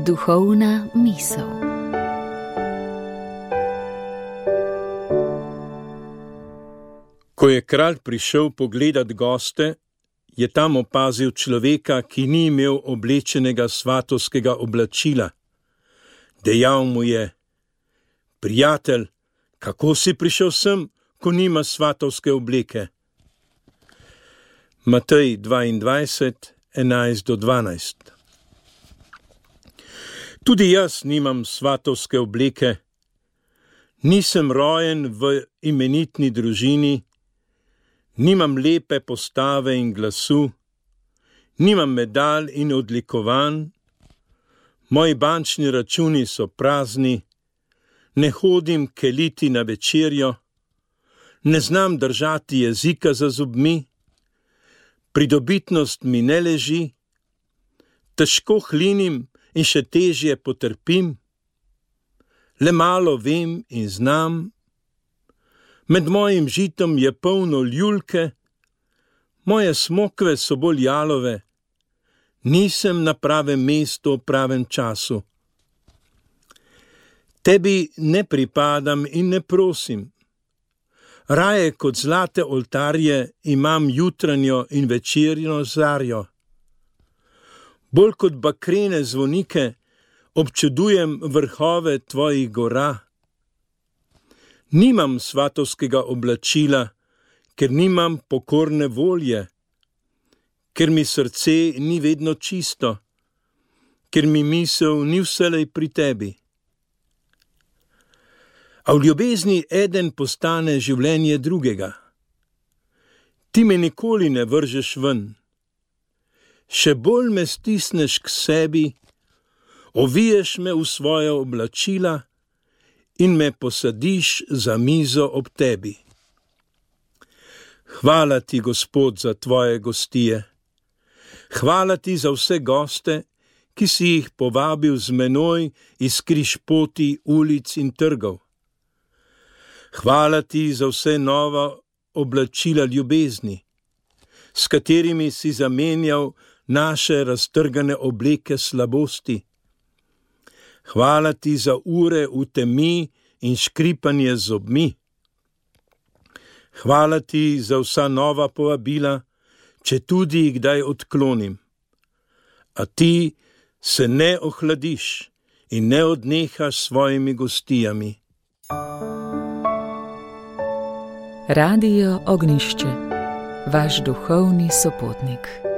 Duhovna misel. Ko je kralj prišel pogledat goste, je tam opazil človeka, ki ni imel oblečenega svatovskega oblačila. Dejal mu je: prijatelj, kako si prišel sem, ko nima svatovske obleke? Matej 22, 11-12. Tudi jaz nimam svatovske obleke. Nisem rojen v imenitni družini, nimam lepe postave in glasu, nimam medalj in odlikovanj, moji bančni računi so prazni, ne hodim keliti na večerjo, ne znam držati jezika za zobmi, pridobitnost mi ne leži, težko hlinim in še težje potrpim, le malo vem in znam, med mojim žitom je polno ljulke, moje smokve so bolj jalove, nisem na pravem mestu v pravem času. Tebi ne pripadam in ne prosim. Raje kot zlate oltarje imam jutranjo in večerjo zarjo. Bolj kot bakrene zvonike občudujem vrhove tvojih gora. Nimam svatovskega oblačila, ker nimam pokorne volje, ker mi srce ni vedno čisto, ker mi misel ni vselej pri tebi. A v ljubezni eden postane življenje drugega. Ti me nikoli ne vržeš ven. Še bolj me stisneš k sebi, oviješ me v svoja oblačila in me posadiš za mizo ob tebi. Hvala ti, Gospod, za tvoje gostije. Hvala ti za vse goste, ki si jih povabil z menoj iz križpoti, ulic in trgov. Hvala ti za vse nova oblačila ljubezni, s katerimi si zamenjal naše raztrgane obleke slabosti. Hvala ti za ure v temi in škripanje z zobmi. Hvala ti za vsa nova povabila, če tudi jih kdaj odklonim. A ti se ne ohladiš in ne odnehaš s svojimi gostijami. Radio Ognjišče, vaš duhovni sopotnik.